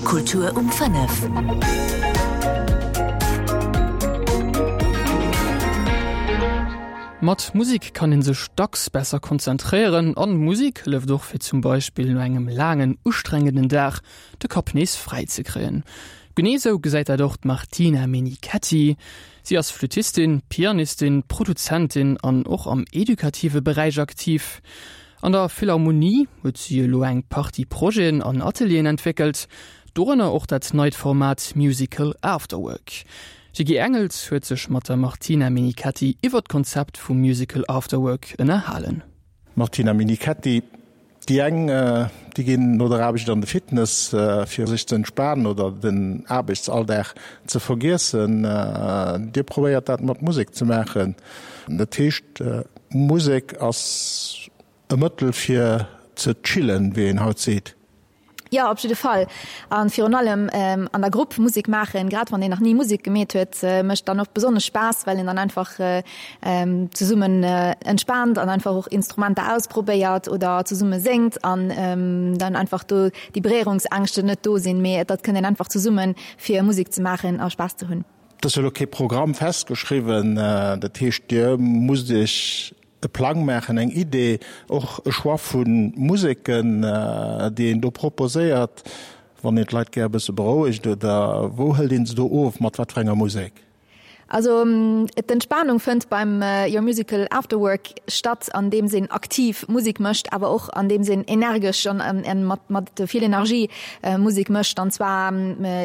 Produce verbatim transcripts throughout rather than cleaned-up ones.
Kultur um fënnef. Mat Musek kann een sech dacks besser konzentréieren an Musek hëlleft och fir zum Beispill no engem laangen ustrengenden Dag de Kapp nees fräi ze kréien. Genee sou gesäit dat och d'Martina Menichetti. Si ass Flüttistin, Pianistin, Produzentin an och am edukative Beräich aktiv. An der Philharmonie huet si elo eng Partie Projeten an Atelieren entwéckelt, dorënner och dat neit Format Musical Afterwork. De Guy Engels huet sech mat der Martina Menichetti iwwer d'Konzept vum Musical Afterwork ënnerhalen. Martina Menichetti, Déi eng, déi ginn no der Aarbecht an de Fitness, fir sech ze entspanen oder den Aarbechtsalldag ze vergiessen. Dir probéiert dat mat Musek ze maachen. Dat heescht, Musek ass e Mëttel fir ze chillen, wéi een haut seet. Jo, op jidde Fall. A virun allem an der Grupp Musek maachen, grad wann een nach ni Musek gemeet huet, mécht dann och besonnesch Spaass, well een dann einfach zesummen entspaant an einfach och Instrumenter ausprobéiert oder zesumme séngt an dann einfach do déi Beréierungsängschte net do sinn, mee et kënnt een einfach zesummen, fir Musek ze maachen a Spaass ze hunn. Et ass jo elo kee Programm festgeschriwwen, dat heescht, Dir musst Iech e Plang maachen, eng Idee, och e Choix vu Museken, déi een do proposéiert, wann een d'Leit gär e bësse berouegt, oder wou hëlt een se do of, mat wat fir enger Musek? Also d'Entspanung fënnt beim Your Musical Afterwork statt, andeems een aktiv Musek mécht, awer och andeems een energesch an mat vill Energie Musek mécht, an zwar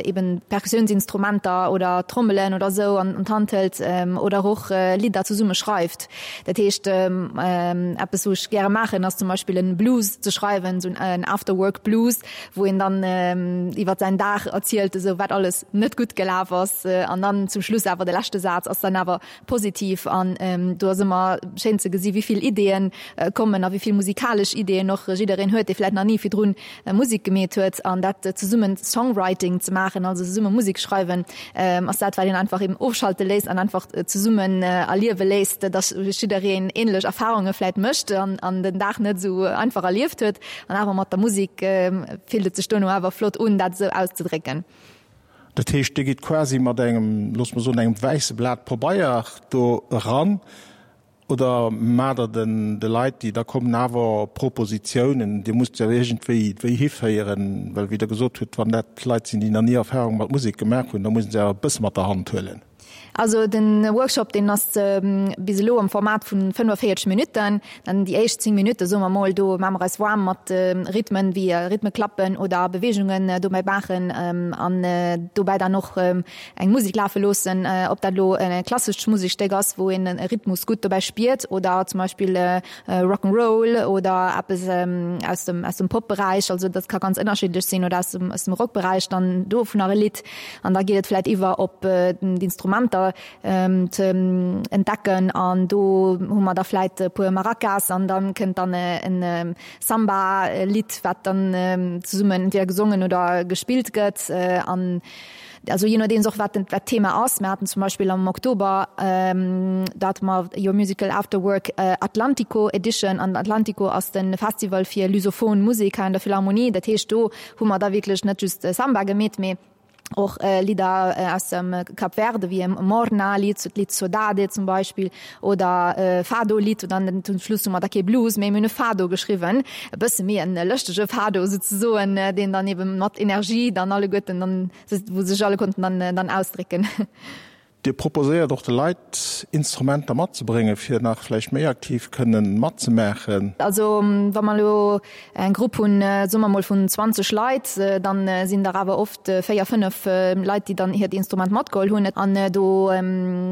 eben Perkussiounsinstrumenter oder Trommelen oder esou an d'Hand hëlt oder och Lidder zesumme schreift. Dat heescht, eppes wou ech gäre maachen, ass zum Beispill en Blues ze schreiwen, esou en After-Work Blues, wou een dann iwwer säin Dag erzielt, esou wat alles net gutt gelaf ass an dann zum Schluss awer de leschte Saz ass dann awer positiv an do ass ëmmer schéin ze gesi wéi vill Ideeën kommen a wéi vill musikalesch Ideeën och jiddereen huet, dee vläicht nach ni virdrun Musek gemeet huet an dat zesummen Songwriting ze maachen, also zesumme Musek schreiwen, ass dat wat een einfach eben ofschalte léisst an einfach zesummen erliewe léisst, dass jiddereen ähnlech Erfahrunge vläit mécht an an den Dag net esou einfach erlieft huet an awer mat der Musek fillt et sech dono awer flott un, dat esou auszedrécken. Dat heescht, Dir gitt quasi mat engem, loosse mer soen, engem wäisse Blat Pabeier do eran oder maacht Der den de Leit, déi da kommen, awer Propositionen? Dir musst se jo iergendwéi wéi hiféieren, well wéi Der gesot hutt, wann dat Leit sinn, déi nach ni Erfahrung mat Musek gemaach hunn, da muss een se awer e bësse mat der Hand huelen. Also den Workshop deen ass bis elo am Format vun fënnefenvéierzeg Minutten. Dann déi éischt zéng Minutte soe mer mol, do maache mer eis waarm mat Rhythmen wéi Rhythmeklappen oder Beweegungen dobäi maachen an dobäi dann och eng Musek lafe loossen, ob dat elo e klassescht Musekstéck ass, wou een e Rhythmus gutt dobäi spiert oder zum Beispill Rock 'n' Roll oder eppes aus dem aus dem Pop-Beräich. Also dat ka ganz ënnerschiddlech sinn oder aus dem aus dem Rock-Beräich dann dovunner e Lidd. An da geet et vläit iwwer op d'Instrumenter ze entdecken an do hu mer da vläit e puer Maracas an da kënnt dann e Samba-Lidd, wat dann zesummen entweder gesongen oder gespillt gëtt an also je nodeems och wat wat d'Thema ass. Mir haten zum Beispill am Oktober, do hate mer Your Musical After Work Atlantico Edition an Atlantico ass de Festival fir lusophon Musek hei an der Philharmonie. Dat heescht do hu mer da wierklech net just Samba gemeet, mee och Lidder aus dem Cap Verde wéi Morna-Lidd, d'Lidd Sodade zum Beispill oder Fado-Lidd. Und dann zum Schluss hu mer da kee Blues méi, mir hunn e Fado geschriwwen, e bësse méi en lëschtege Fado souzesoen, deen dann eben mat Energie dann alleguerten dann, wou sech alle konnten dann dann ausdrécken. Dir proposéiert och de Leit, Instrumenter matzebréngen, fir nach vläicht méi aktiv kënnen matzemaachen. Also wa mer elo eng Grupp hunn, soe mer mol vun zwanzeg Leit, da sinn der awer oft véier, fënnef Leit, déi dann hiert Instrument matgeholl hunn. An do,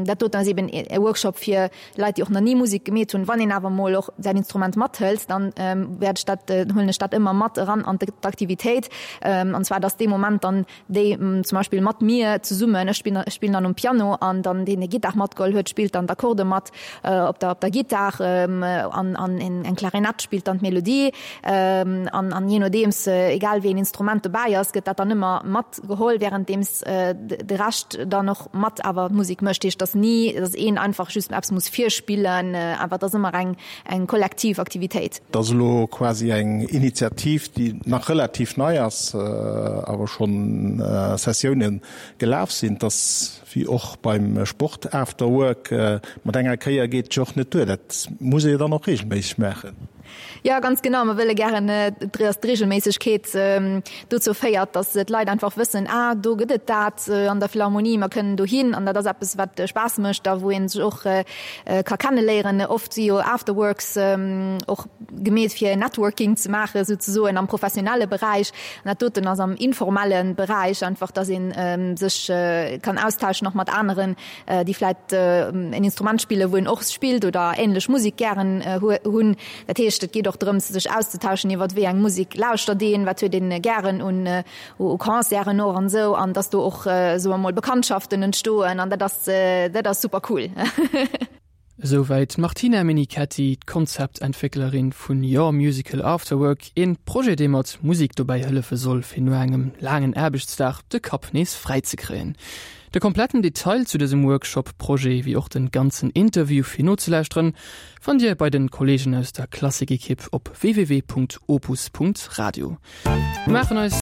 dat doten ass eben e Workshop fir Leit, déi och nach ni Musek gemeet hunn. Wann een awer mol och säin Instrument mathëlt, dann wäert ech dat, huelen ech dat ëmmer mat eran an d'Aktivitéit. An zwar, dass dee Moment dann déi zum Beispill mat mir zesummen, ech spillen, ech spillen dann um Piano, an dann deen Gittar matgeholl huet, spillt dann d'Akkorde mat op der op der Gittar an an eng Klarinett spillt dann d'Melodie an an jee nodeems egal wéi een Instrument dobäi ass, gëtt dat dann ëmmer matgeholl, wärenddeems de Rescht dann och mat awer d'Musek mécht. Heescht, dass ni dass een einfach just eppes muss virspillen, awer et ass ëmmer eng eng kollektiv Aktivitéit. Et ass elo quasi eng Initiativ, déi nach relativ nei ass, awer schonn Sessiounen gelaf sinn. Et ass wéi och beim Sport, After Work, mat enger Kéier geet et jo och net duer. Dat muss ee jo dann och reegelméisseg maachen. Jo, ganz genau. Mer wëlle gären, dass d'Reegelméissegkeet dozou féiert, dass d'Leit einfach wëssen, ah, do gëtt et dat an der Philharmonie, mer kënnen dohin. An dat ass eppes, wat Spaass mécht a wou ee sech och ka kenneléieren. Oft si jo Afterworks och gemeet fir Networking ze maachen, souzesoen am professionelle Beräich. An dat doten ass am informelle Beräich, einfach dass ee sech kann austauschen och mat aneren, déi vläit en Instrument spillen, wou een och spillt oder änlech Musek gären hunn. Dat heescht, et geet och drëms, sech auszetauschen iwwer wéi eng Musek lauschtert een, wat huet een gären un u Concerten och an esou, an dass do och, soe mer mol, Bekanntschaften entstoen an dat ass, dat ass super cool. Esouwäit d'Martina Menichetti, d'Konzeptentwécklerin vun Your Musical Afterwork, een Projet dee mat Musek dobäi hëllefe soll fir no engem laangen Aarbechtsdag de Kapp nees fräi ze kréien. De kompletten Detail zu dësem Workshop-Projet wéi och den ganzen Interview fir nozelauschteren fannt Dir bei den Kollegen aus der Klassik-Ekipp op www.opus.radio. Mir maachen eis